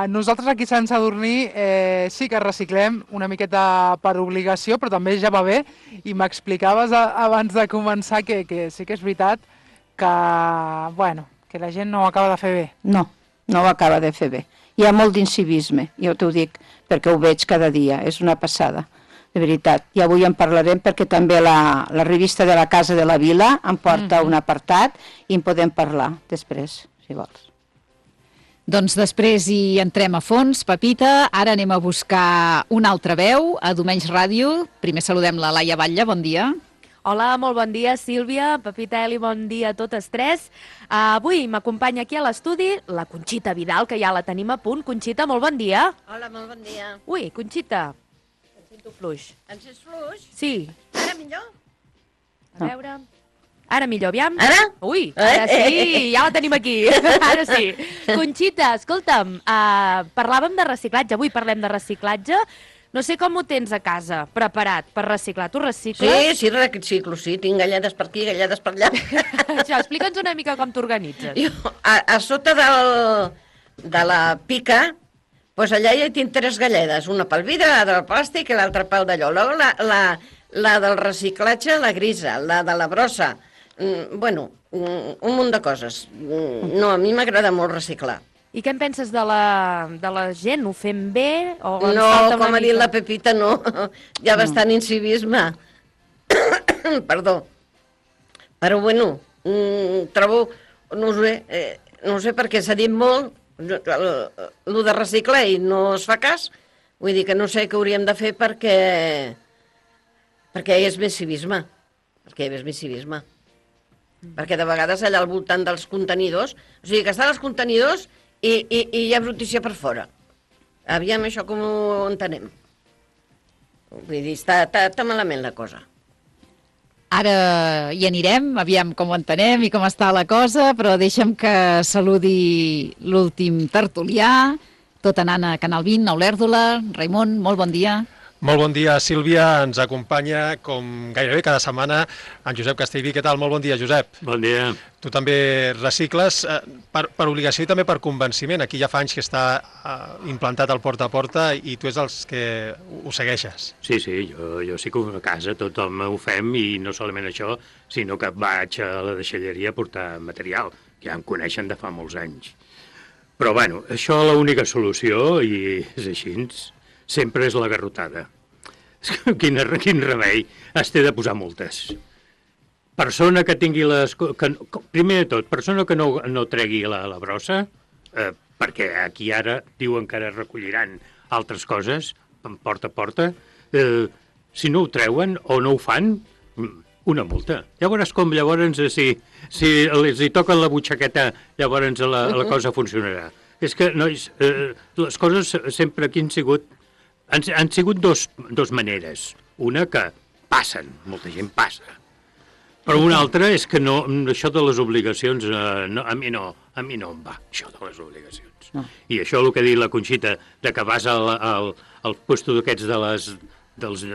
Nosaltres aquí a Sant Sadurní sí que reciclem una miqueta per obligació, però també ja va bé. I m'explicaves abans de començar que sí que és veritat que, bueno, que la gent no ho acaba de fer bé. No ho acaba de fer bé. Hi ha molt d'incivisme, jo t'ho dic, perquè ho veig cada dia, és una passada. De veritat, i avui en parlarem perquè també la revista de la Casa de la Vila em porta un apartat i en podem parlar després, si vols. Doncs després hi entrem a fons, Pepita. Ara anem a buscar una altra veu a Domenys Ràdio. Primer saludem la Laia Batlle, bon dia. Hola, molt bon dia, Sílvia, Pepita, Eli, bon dia a totes tres. Avui m'acompanya aquí a l'estudi la Conxita Vidal, que ja la tenim a punt. Conxita, molt bon dia. Hola, molt bon dia. Ui, Conxita. Fluix. Em sents fluix? Sí. Ara millor? A veure... Ara millor, aviam. Ara? Ui, ara sí, ja la tenim aquí. Ara sí. Conxita, escolta'm, parlàvem de reciclatge, avui parlem de reciclatge. No sé com ho tens a casa, preparat per reciclar. Tu recicles? Sí, reciclo, sí. Tinc galledes per aquí, galledes per allà. Això, explica'ns una mica com t'organitzes. Jo, a sota de la pica... Doncs allà ja hi tinc 3 galledes, una pel vidre, la del plàstic i l'altra pel d'allò. Llavors la del reciclatge, la grisa, la de la brossa, bueno, un munt de coses. No, a mi m'agrada molt reciclar. I què en penses de la gent? Ho fem bé? O no, com ha dit la Pepita, no. Hi ha bastant incivisme. Perdó. Però bueno, trobo, no sé perquè s'ha dit molt, el de reciclar i no es fa cas, vull dir que no sé què hauríem de fer perquè hi és més civisme, perquè de vegades allà al voltant dels contenidors, o sigui que estan els contenidors i hi ha brutícia per fora. Aviam això com ho entenem. Vull dir, està malament la cosa. Ara hi anirem, aviam com ho entenem i com està la cosa, però deixa'm que saludi l'últim tertulià, tot anant a Canal 20, a Olèrdola. Raimon, molt bon dia. Molt bon dia, Sílvia. Ens acompanya, com gairebé cada setmana, en Josep Castellví. Què tal? Molt bon dia, Josep. Bon dia. Tu també recicles per obligació i també per convenciment. Aquí ja fa anys que està implantat el porta a porta i tu ets els que ho segueixes. Sí, jo sí que a casa tothom ho fem i no solament això, sinó que vaig a la deixalleria a portar material, que ja em coneixen de fa molts anys. Però bueno, això l'única solució, i és així, sempre és la garrotada. Quin remei, has de posar multes. Persona que tingui primer de tot, persona que no tregui la brossa, perquè aquí ara diuen que ara recolliran altres coses, porta a porta, si no ho treuen o no ho fan, una multa. Llavors com, si els hi toquen la butxaqueta, llavors la cosa funcionarà. És que, nois, les coses sempre aquí han sigut dos maneres. Una que passen, molta gent passa. Però una altra és que això de les obligacions, a mi no em va, això de les obligacions. No. I això el que ha dit la Conxita, que vas al puesto d'aquests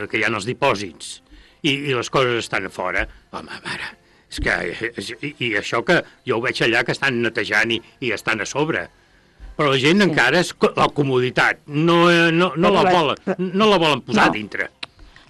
que hi ha els dipòsits i les coses estan a fora, home, mare, és que... I això que jo ho veig allà que estan netejant i estan a sobre. Però la gent encara és la comoditat, no la volen posar dintre.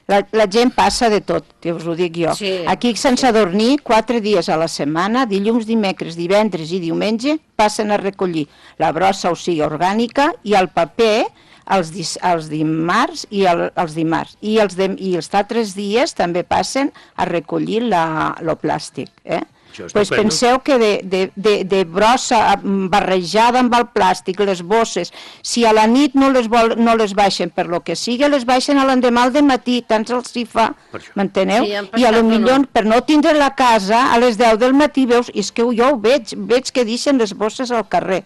La gent passa de tot, que us ho dic jo. Sí. Aquí a Sant Sadurní, 4 dies a la setmana, dilluns, dimecres, divendres i diumenge, passen a recollir la brossa, o sigui, orgànica, i el paper els dimarts i els dimarts. I els altres dies també passen a recollir el plàstic, Pues penseu que de brossa barrejada amb el plàstic, les bosses, si a la nit no les baixen per lo que sigui, les baixen a l'endemà al dematí, tant se'ls hi fa, m'enteneu? I a lo millor, per no tindre la casa, a les 10 del matí veus, és que jo ho veig que deixen les bosses al carrer.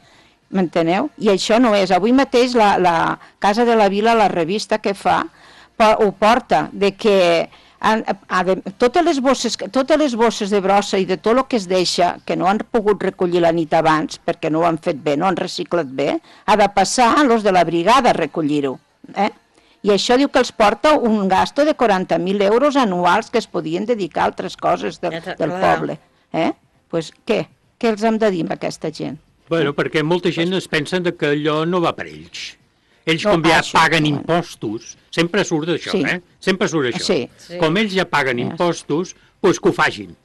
m'enteneu? I això no és. Avui mateix la Casa de la Vila, la revista que fa, ho porta, de que totes les bosses de brossa i de tot el que es deixa, que no han pogut recollir la nit abans, perquè no ho han fet bé, no han reciclat bé, ha de passar a los de la brigada a recollir-ho. I això diu que els porta un gasto de 40.000 euros anuals que es podien dedicar a altres coses del poble. Doncs què? Què els hem de dir a aquesta gent? Bueno, perquè molta gent es pensa que allò no va per ells. Ells, com ja paguen impostos, sempre surt d'això, Sempre surt això. Com ells ja paguen impostos, doncs que ho facin.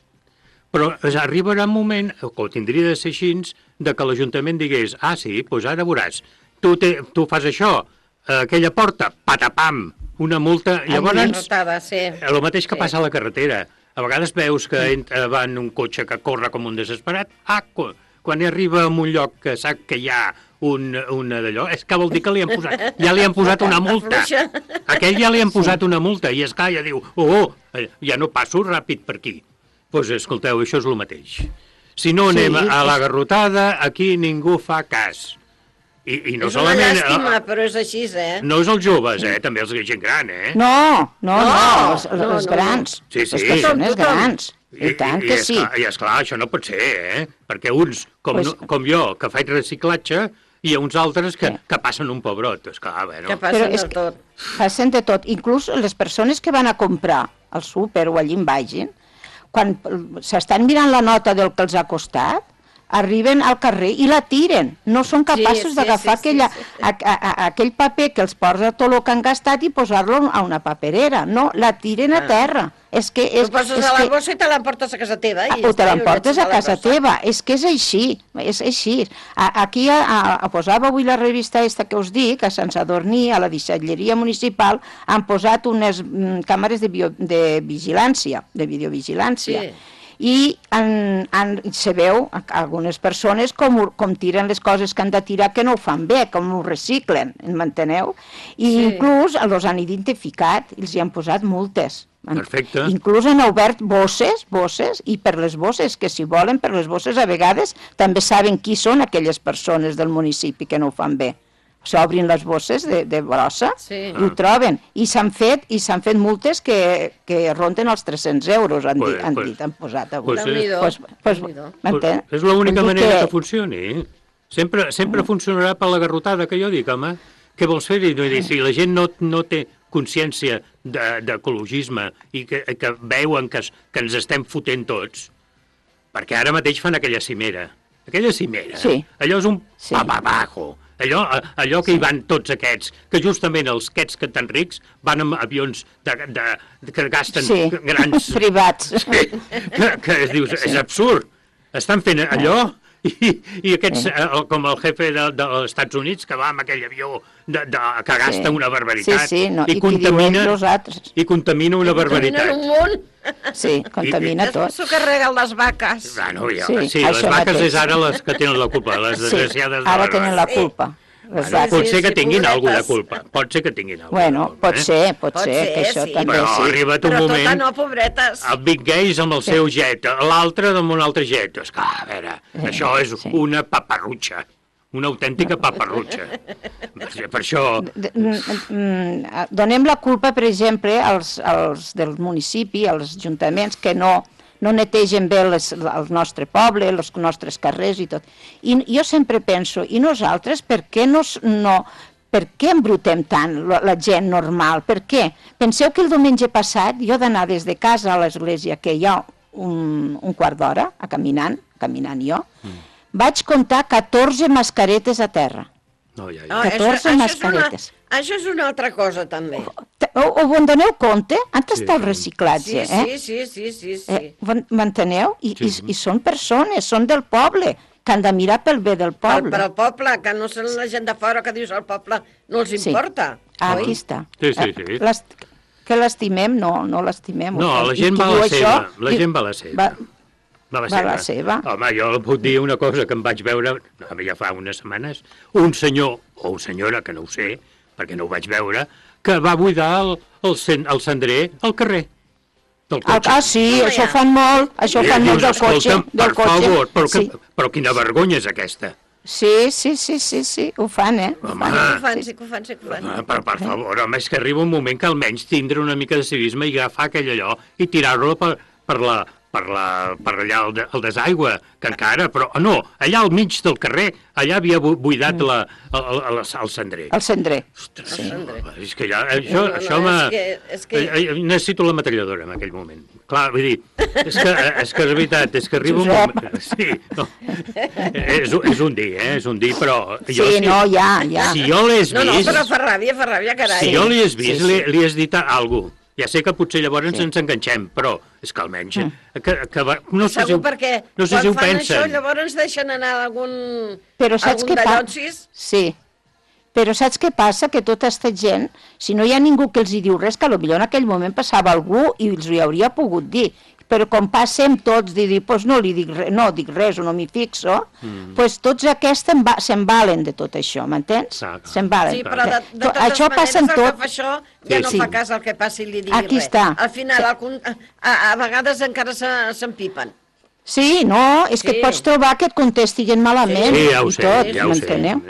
Però arribarà un moment, que ho tindria de ser així, que l'Ajuntament digués, sí, doncs ara veuràs, tu fas això, aquella porta, patapam, una multa, llavors, el mateix que passa a la carretera. A vegades veus que va en un cotxe que corre com un desesperat, quan arriba a un lloc que sap que hi ha una d'allò, és que vol dir que ja li han posat una multa. Aquell ja li han posat una multa, i esclar, ja diu, ja no passo ràpid per aquí. Doncs escolteu, això és el mateix. Si no anem a la garrotada, aquí ningú fa cas. I no és una llàstima, però és així, No és els joves, també és gent gran, No, els grans. Sí, les persones grans. I tant que sí. I esclar, això no pot ser, perquè uns, com jo, que faig reciclatge, i uns altres que passen un pebrot. Esclar, bueno. Que passen de tot. Passen de tot. Inclús les persones que van a comprar al súper o allí en vagin, quan s'estan mirant la nota del que els ha costat, arriben al carrer i la tiren. No són capaços d'agafar aquell paper que els posa tot el que han gastat i posar-lo a una paperera. No, la tiren a terra. Tu poses a la bossa i te l'emportes a casa teva. O te l'emportes a casa teva. És que és així. És així. Aquí posava avui la revista esta que us dic, a Sant Sadurní, a la deixalleria municipal, han posat unes càmeres de vigilància, de videovigilància. I se veu algunes persones com tiren les coses que han de tirar que no ho fan bé, com ho reciclen, m'enteneu? I inclús els han identificat i els hi han posat multes. Perfecte. Inclús han obert bosses, i per les bosses, que si volen, per les bosses a vegades també saben qui són aquelles persones del municipi que no ho fan bé. S'obrin les bosses de brossa i ho troben. I s'han fet multes que ronden els 300 euros, han posat avui. És l'única manera que funcioni. Sempre funcionarà per la garrotada que jo dic, home. Què vols fer-hi? Si la gent no té consciència d'ecologisme i que veuen que ens estem fotent tots, perquè ara mateix fan aquella cimera. Allò és un papapajo. Allò que hi van tots aquests, que justament els aquests que tan rics van amb avions que gasten grans... privats. Que dius, és absurd. Estan fent allò i aquests, com el jefe dels Estats Units, que va amb aquell avió que gasta una barbaritat i contamina una barbaritat. Sí, contamina tot. S'ho carreguen les vaques. Sí, les vaques és ara les que tenen la culpa, les desgraciades de la... Ara tenen la culpa. Pot ser que tinguin alguna culpa. Pot ser que tinguin alguna culpa. Bueno, pot ser, que això també sí. Però ha arribat un moment... Però tota no, pobretes. El Big Gays amb el seu jet, l'altre amb un altre jet. És que, a veure, això és una paparrutxa. Una autèntica paparrutxa. Per això... Donem la culpa, per exemple, als del municipi, als ajuntaments, que no netegen bé el nostre poble, els nostres carrers i tot. I jo sempre penso, i nosaltres per què embrutem tant la gent normal? Per què? Penseu que el diumenge passat jo d'anar des de casa a l'església, que hi ha un quart d'hora, caminant jo, vaig comptar 14 mascaretes a terra. 14 mascaretes. Això és una altra cosa, també. Ho doneu compte? Han d'estar el reciclatge, Sí. M'enteneu? I són persones, són del poble, que han de mirar pel bé del poble. Per al poble, que no són la gent de fora que dius al poble, no els importa. Aquí està. Sí. Que l'estimem? No l'estimem. No, la gent va a la seva. La gent va a la seva. Va a la seva. Home, jo puc dir una cosa que em vaig veure, ja fa unes setmanes, un senyor o una senyora, que no ho sé, perquè no ho vaig veure, que va buidar el cendrer al carrer del cotxe. Sí, això fan molt del cotxe. Per favor, però quina vergonya és aquesta? Sí, ho fan, Home, Sí que ho fan. per favor, home, és que arriba un moment que almenys tindre una mica de civisme i agafar aquell allò i tirar-lo per allà al desaigua, que encara, però no, allà al mig del carrer, allà havia buidat el cendrer. El cendrer. Ostres, és que ja, això necessito la metralladora en aquell moment. Clar, vull dir, és que és veritat, és que arriba un moment... Sí, no, és un dir, és un dir, però... Sí, no, ja. Si jo l'he vist... No, però fa ràbia, carai. Si jo l'he vist, li has dit alguna cosa. Ja sé que potser llavors ens enganxem, però és que almenys... No sé si ho pensen. Quan fan això, llavors deixen anar algun dallonsis. Sí, però saps què passa? Que tota aquesta gent, si no hi ha ningú que els hi diu res, que potser en aquell moment passava algú i els hi hauria pogut dir. Però com passem tots de dir, doncs no li dic res, no dic res o no m'hi fixo, doncs tots aquests se'n valen de tot això, m'entens? Se'n valen. Sí, però de totes maneres el que fa això ja no fa cas al que passi i li digui res. Aquí està. Al final, a vegades encara s'empipen. Sí, no, és que et pots trobar que et contestiguen malament. Sí, ja ho sé, m'enteneu?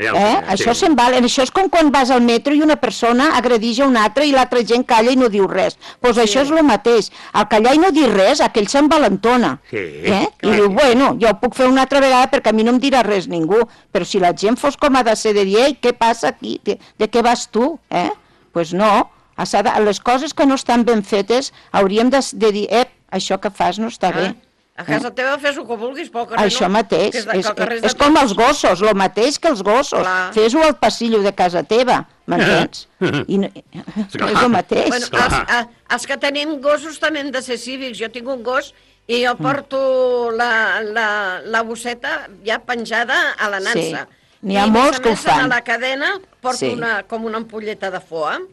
Això se'n valen. Això és com quan vas al metro i una persona agredeix a una altra i l'altra gent calla i no diu res. Doncs això és el mateix. Al callar i no dir res, aquell s'envalentona. I diu, bueno, jo ho puc fer una altra vegada perquè a mi no em dirà res ningú. Però si la gent fos com ha de ser de dir, ei, què passa aquí? De què vas tu? Doncs no. Les coses que no estan ben fetes hauríem de dir, això que fas no està bé. A casa teva fes-ho que vulguis, però al carrer no. Això mateix, és com els gossos, el mateix que els gossos. Fes-ho al passillo de casa teva, m'entens? És el mateix. Els que tenim gossos també hem de ser cívics. Jo tinc un gos i jo porto la bosseta ja penjada a la nansa. N'hi ha molts que ho fan. A la cadena porto com una ampolleta de foam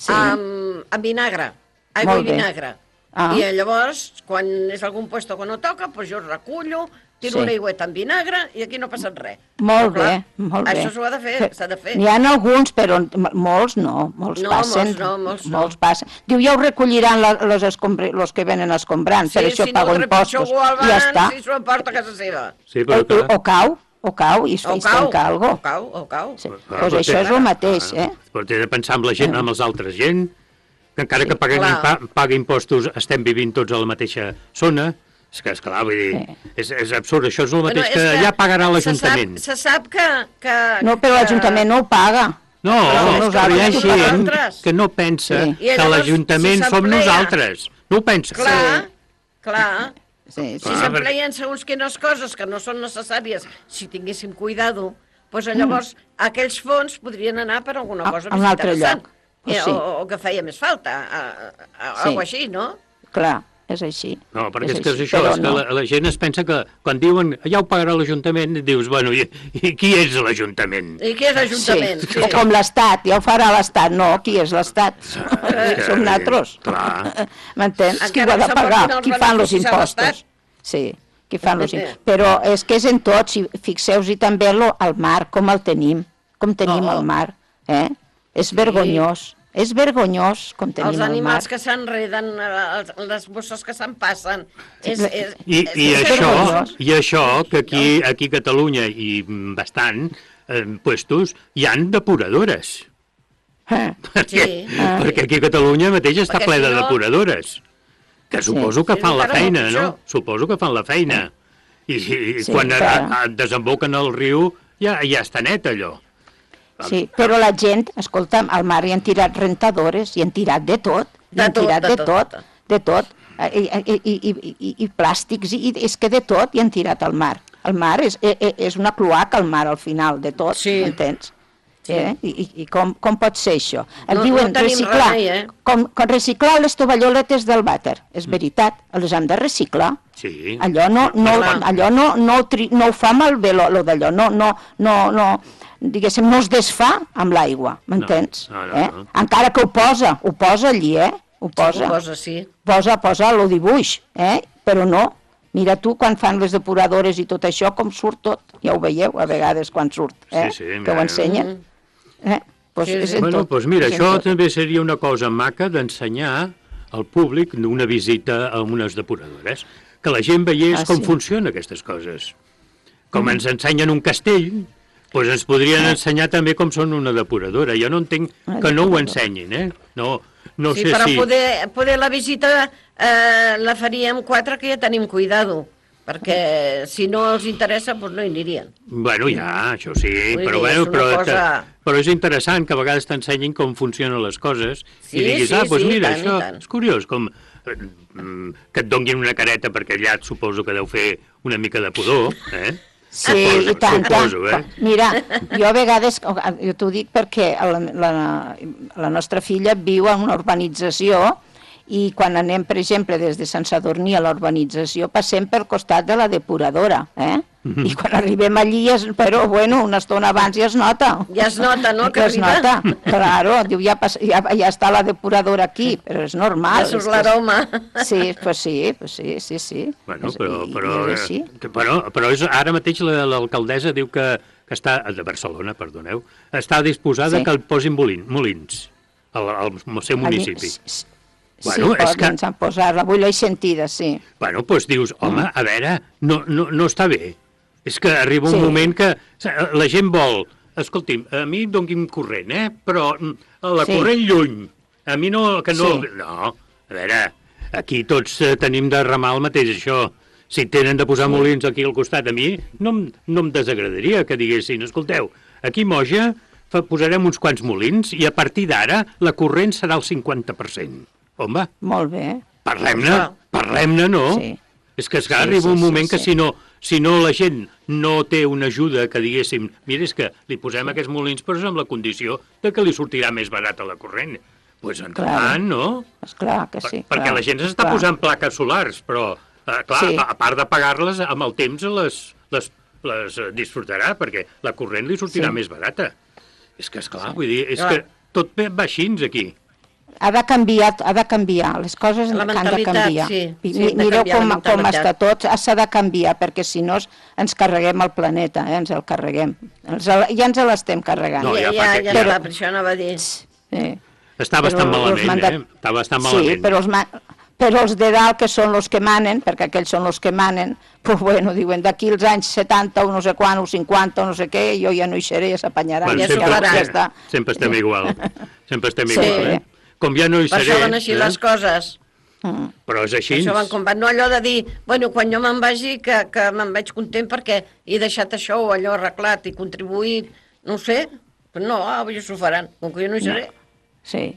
amb vinagre, aigua i vinagre. I llavors, quan és algun puesto que no toca, doncs jo recullo, tiro una aigüeta amb vinagre i aquí no passa res. Molt bé, molt bé. Això s'ho ha de fer, s'ha de fer. N'hi ha alguns, però molts no, molts passen. Molts passen. Diu, ja ho recolliran els que venen escombrant, per això pago impostos. I ja està. Si s'ho emporta a casa seva. O cau i es tanca alguna cosa. O cau. Doncs això és el mateix, Però t'he de pensar amb la gent, amb els altres gent, que encara que pagui impostos estem vivint tots a la mateixa zona. És que, esclar, vull dir, és absurd. Això és el mateix que ja pagarà l'Ajuntament. Se sap que... No, però l'Ajuntament no ho paga. No, però hi ha gent que no pensa que l'Ajuntament som nosaltres. No ho pensa. Clar. Si s'empleien segons quines coses que no són necessàries, si tinguéssim cuidado, doncs llavors aquells fons podrien anar per alguna cosa més interessant. O que feia més falta, alguna així, no? Clar, és així. No, perquè és que és això, és que la gent es pensa que quan diuen ja ho pagarà l'Ajuntament, dius, bueno, i qui és l'Ajuntament? I qui és l'Ajuntament? O com l'Estat, ja ho farà l'Estat, no, qui és l'Estat? Som nosaltres. M'entens? Qui ho ha de pagar? Qui fan els impostos? Sí, qui fan els impostos. Però és que és en tot, si fixeu-hi també al mar, com el tenim el mar, És vergonyós com tenim el mar. Els animals que s'enreden, les bosses que se'n passen. I això, que aquí a Catalunya i bastant puestos hi han depuradores. Perquè aquí a Catalunya mateix està ple de depuradores. Que suposo que fan la feina, no? Suposo que fan la feina. I quan desemboquen al riu ja està net allò. Sí, però la gent, escolta'm, al mar hi han tirat rentadores, hi han tirat de tot, de tot, i plàstics, i és que de tot hi han tirat al mar. El mar és una cloaca, al mar, al final, de tot, m'entens? I com pot ser això? Diuen reciclar les tovalloletes del vàter, és veritat, les han de reciclar. Allò no ho fa malbé, d'allò, no, diguéssim, no es desfà amb l'aigua, m'entens? Encara que ho posa allí, ho posa. Posa el dibuix, però no. Mira tu, quan fan les depuradores i tot això, com surt tot. Ja ho veieu, a vegades, quan surt, que ho ensenyen. Doncs mira, això també seria una cosa maca d'ensenyar al públic una visita a unes depuradores, que la gent veiés com funcionen aquestes coses. Com ens ensenyen un castell, Doncs ens podrien ensenyar també com són una depuradora. Jo no entenc que no ho ensenyin, No sí, sé però si... poder la visita la faríem 4, que ja tenim cuidado, perquè si no els interessa, doncs no hi anirien. Bueno, ja, això sí, però és interessant que a vegades t'ensenyin com funcionen les coses i diguis, doncs mira, això és curiós, com que et donguin una careta perquè allà suposo que deu fer una mica de pudor, Sí, i tant. Mira, jo a vegades, jo t'ho dic perquè la nostra filla viu en una urbanització i quan anem, per exemple, des de Sant Sadurní a la urbanització, passem pel costat de la depuradora, I quan arribem allí, però, bueno, una estona abans ja es nota. Ja es nota, no?, que es nota, claro, diu, ja està la depuradora aquí, però és normal. Ja surt l'aroma. Sí, pues sí. Bueno, però ara mateix l'alcaldessa diu que està, de Barcelona, perdoneu, està disposada que el posin molins al seu municipi. Sí, ens han posat, avui l'he sentida, sí. Bueno, doncs dius, home, a veure, no està bé. És que arriba un moment que la gent vol, escolti'm, a mi em donguin corrent, però la corrent lluny, a mi no, que no... No, a veure, aquí tots tenim de remar el mateix, això. Si tenen de posar molins aquí al costat, a mi no em desagradaria que diguessin, escolteu, aquí Moja posarem uns quants molins i a partir d'ara la corrent serà el 50%. Home, molt bé. Parlem-ne, no? Sí. És que arriba un moment que si no la gent no té una ajuda que diguéssim, mira, és que li posem aquests molins però és amb la condició de que li sortirà més barat a la corrent. Doncs endavant, no? Esclar que sí. Perquè la gent s'està posant plaques solars, però, clar, a part de pagar-les, amb el temps les disfrutarà, perquè la corrent li sortirà més barata. És que, esclar, vull dir, és que tot va així aquí. Ha de canviar, les coses han de canviar. Mireu com està tot, s'ha de canviar, perquè si no ens carreguem el planeta, ens el carreguem. Ja ens l'estem carregant. Ja està, per això anava a dir. Està bastant malament, està bastant malament. Sí, però els de dalt, que són els que manen, perquè aquells són els que manen, doncs bueno, diuen, d'aquí els anys 70 o no sé quan, o 50 o no sé què, jo ja no hi seré, ja s'apanyaran. Sempre estem igual, Com ja no hi seré... Per això van així les coses. Però és així. Això van com van, no allò de dir, bueno, quan jo me'n vagi, que me'n vaig content perquè he deixat això o allò arreglat i contribuït, no sé, però no, ja s'ho faran, com que jo no hi seré. Sí,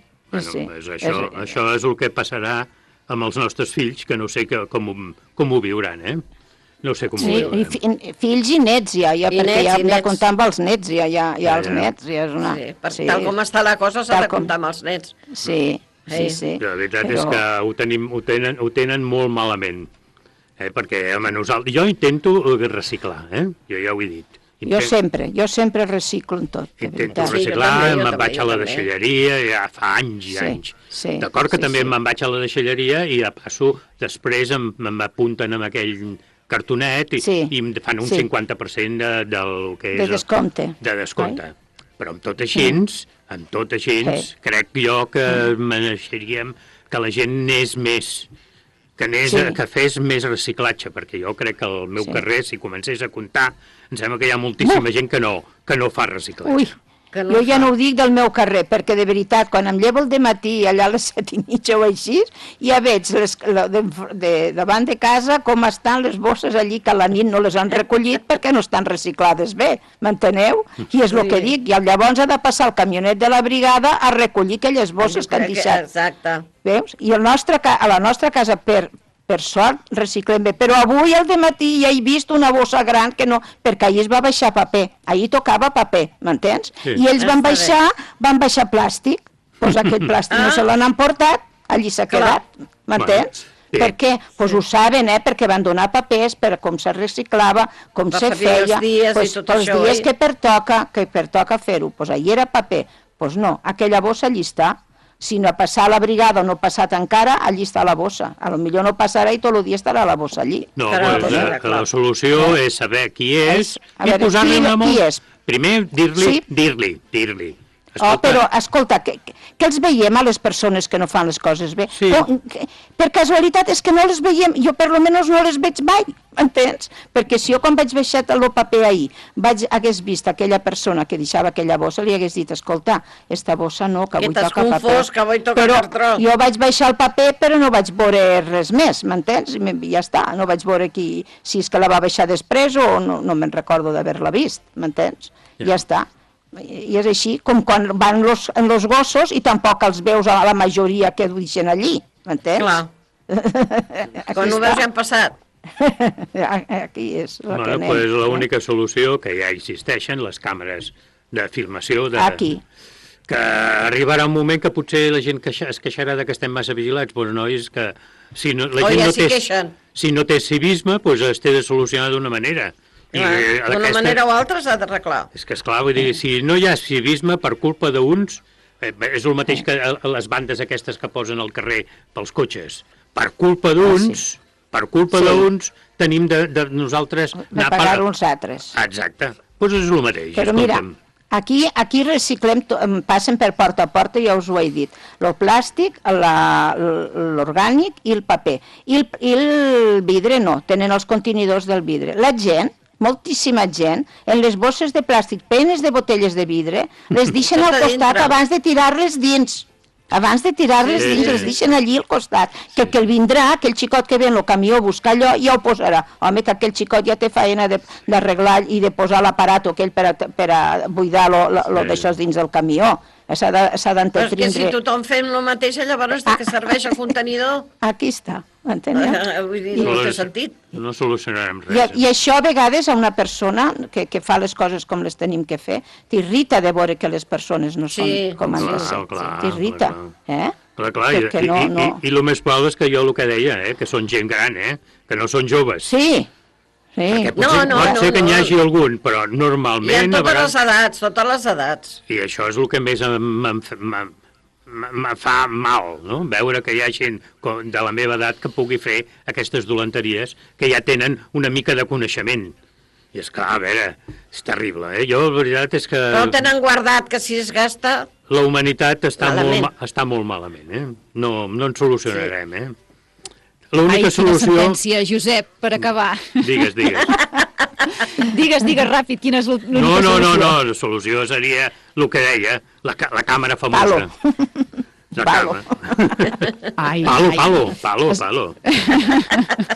sí. Això és el que passarà amb els nostres fills, que no sé com ho viuran, No sé com ho viuran. Sí, fills i nets ja, perquè ja hem de comptar amb els nets, ja els nets. Tal com està la cosa s'ha de comptar amb els nets. Sí. La veritat és que ho tenen molt malament, perquè jo intento reciclar, jo ja ho he dit. Jo sempre reciclo en tot. Intento reciclar, me'n vaig a la deixalleria, ja fa anys i anys. D'acord que també me'n vaig a la deixalleria i a passo, després m'apunten amb aquell cartonet i em fan un 50% del que és... De descompte. Però amb tot així, crec jo que mereixeríem que la gent anés més, que fes més reciclatge, perquè jo crec que al meu carrer, si comencés a comptar, em sembla que hi ha moltíssima gent que no fa reciclatge. Jo ja no ho dic del meu carrer, perquè de veritat, quan em llevo al dematí, allà a les 7:30 o així, ja veig davant de casa com estan les bosses allí, que a la nit no les han recollit perquè no estan reciclades bé, m'enteneu? I és el que dic, i llavors ha de passar el camionet de la brigada a recollir aquelles bosses que han deixat. Exacte. Veus? I a la nostra casa, per sort, reciclem bé. Però avui al dematí ja he vist una bossa gran que no... Perquè ahir es va baixar paper. Ahir tocava paper, m'entens? I ells van baixar plàstic. Doncs aquell plàstic no se l'han emportat, allí s'ha quedat, m'entens? Per què? Doncs ho saben, perquè van donar papers per com se reciclava, com se feia... Els dies que pertoca fer-ho. Doncs ahir era paper. Doncs no, aquella bossa allí està. Si no ha passat la brigada o no ha passat encara, allí està la bossa. A lo millor no passarà i tot el dia estarà la bossa allí. No, la solució és saber qui és i posar-li una molt... Primer, dir-li però, escolta, que els veiem a les persones que no fan les coses bé? Sí. Per casualitat és que no les veiem, jo per lo menys no les veig mai, m'entens? Perquè si jo quan vaig baixar el paper ahir hagués vist aquella persona que deixava aquella bossa, li hagués dit, escolta, esta bossa no, que avui toca paper. Que t'has confós, que avui toca cartró. Jo vaig baixar el paper però no vaig veure res més, m'entens? I ja està, no vaig veure si és que la va baixar després o no me'n recordo d'haver-la vist, m'entens? Ja està. I és així com quan van en los gossos i tampoc els veus a la majoria que deixen allí, m'entens? Clar. Quan ho veus ja han passat. Aquí és el que anem. Doncs l'única solució, que ja existeixen, les càmeres de filmació... Aquí. Que arribarà un moment que potser la gent es queixarà que estem massa vigilats, doncs no, és que si no, la gent si no té civisme, doncs es té de solucionar d'una manera. D'una manera o altra s'ha d'arreglar. És que, esclar, vull dir, si no hi ha civisme per culpa d'uns, és el mateix que les bandes aquestes que posen al carrer pels cotxes. Per culpa d'uns, d'uns, tenim de nosaltres... De pagar uns altres. Exacte. Doncs és el mateix. Però mira, aquí reciclem, passen per porta a porta, ja us ho he dit, el plàstic, l'orgànic i el paper. I el vidre no, tenen els contenidors del vidre. La gent, moltíssima gent, en les bosses de plàstic plenes de botelles de vidre, les deixen al costat abans de tirar-les dins. Abans de tirar-les dins, les deixen allí al costat. Que el vindrà, aquell xicot que ve en el camió a buscar allò, ja ho posarà. Home, que aquell xicot ja té feina d'arreglar i de posar l'aparat aquell per a buidar d'això dins del camió. S'ha d'entendre... Però és que si tothom fem el mateix, llavors de què serveix el contenidor? Aquí està, m'enteneu? Vull dir, no té sentit. No solucionarem res. I això a vegades a una persona que fa les coses com les tenim que fer, t'irrita de veure que les persones no són com han de ser. T'irrita, Clar, i el més probable és que jo el que deia, que són gent gran, que no són joves. Sí. Pot ser que n'hi hagi algun, però normalment... I en totes les edats. I això és el que més em fa mal, no? Veure que hi ha gent de la meva edat que pugui fer aquestes dolenteries, que ja tenen una mica de coneixement. I és clar, a veure, és terrible, Jo, la veritat és que... Però tenen guardat que si es gasta... La humanitat està molt malament, No en solucionarem, L'única solució... Quina sentència, Josep, per acabar. Digues. Digues ràpid, quina és l'única solució? No, la solució seria el que deia, la càmera famosa. Palo. Palo.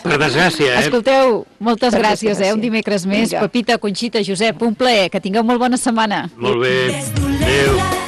Per desgràcia, Escolteu, moltes gràcies, un dimecres més. Pepita, Conxita, Josep, un plaer, que tingueu molt bona setmana. Molt bé, adéu.